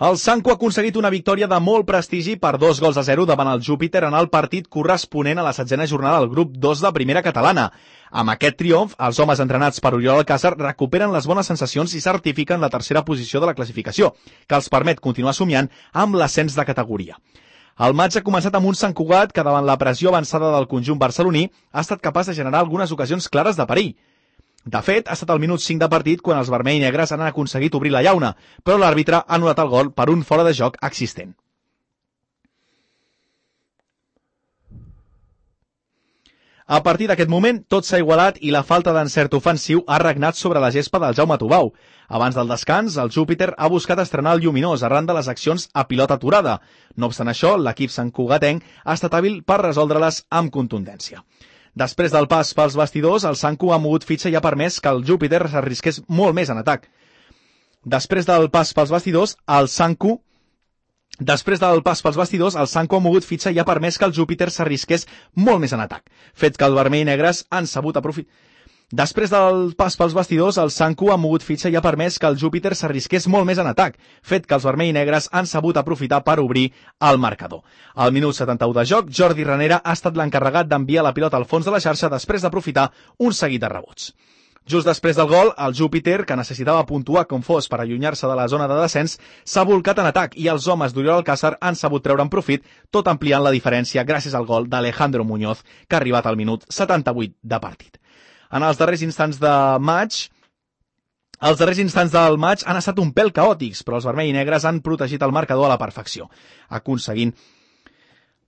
El Sanco ha aconseguit una victòria de molt prestigi per 2-0 davant el Júpiter en el partit corresponent a la 7a jornada del grup 2 de Primera Catalana. Amb aquest triomf, els homes entrenats per Oriol Alcázar recuperen les bones sensacions i certifiquen la tercera posició de la classificació, que els permet continuar somiant amb l'ascens de categoria. El maig ha començat amb un Sant Cugat que, davant la pressió avançada del conjunt barceloní, ha estat capaç de generar algunes ocasions clares de perill. De fet, ha estat al minut 5 de partit quan els vermell i negres han aconseguit obrir la llauna, però l'àrbitre ha anul·lat el gol per un fora de joc existent. A partir d'aquest moment, tot s'ha igualat i la falta d'encert ofensiu ha regnat sobre la gespa del Jaume Tubau. Abans del descans, el Júpiter ha buscat estrenar el lluminós arran de les accions a pilota aturada. No obstant això, l'equip santcugatenc ha estat hàbil per resoldre-les amb contundència. Després del pas pels bastidors, el Sanco ha mogut fitxa i ha permès que el Júpiter s'arrisqués molt més en atac. Després del pas pels bastidors, el Sanco ha mogut fitxa i ha permès que el Júpiter s'arrisqués molt més en atac, fet que el vermell i negres han sabut aprofitar. Després del pas pels bastidors, el Sanco ha mogut fitxa i ha permès que el Júpiter s'arrisqués molt més en atac, fet que els vermell i negres han sabut aprofitar per obrir el marcador. Al minut 71 de joc, Jordi Ranera ha estat l'encarregat d'enviar la pilota al fons de la xarxa després d'aprofitar un seguit de rebots. Just després del gol, el Júpiter, que necessitava puntuar com fos per allunyar-se de la zona de descens, s'ha volcat en atac i els homes d'Oriol Alcázar han sabut treure'n profit, tot ampliant la diferència gràcies al gol d'Alejandro Muñoz, que ha arribat al minut 78 de partit. En els darrers instants del maig han estat un pèl caòtics, però els vermell i negres han protegit el marcador a la perfecció,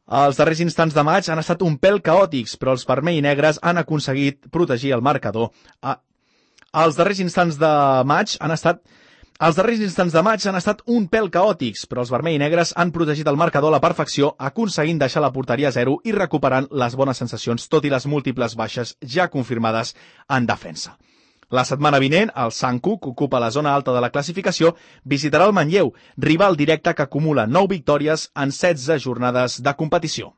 Els darrers instants de maig han estat un pèl caòtics, però els vermell i negres han aconseguit protegir el marcador. Els darrers instants de maig han estat un pèl caòtics, però els vermell i negres han protegit el marcador a la perfecció, aconseguint deixar la porteria a 0 i recuperant les bones sensacions, tot i les múltiples baixes ja confirmades en defensa. La setmana vinent, el Sanco, que ocupa la zona alta de la classificació, visitarà el Manlleu, rival directe que acumula 9 victòries en 16 jornades de competició.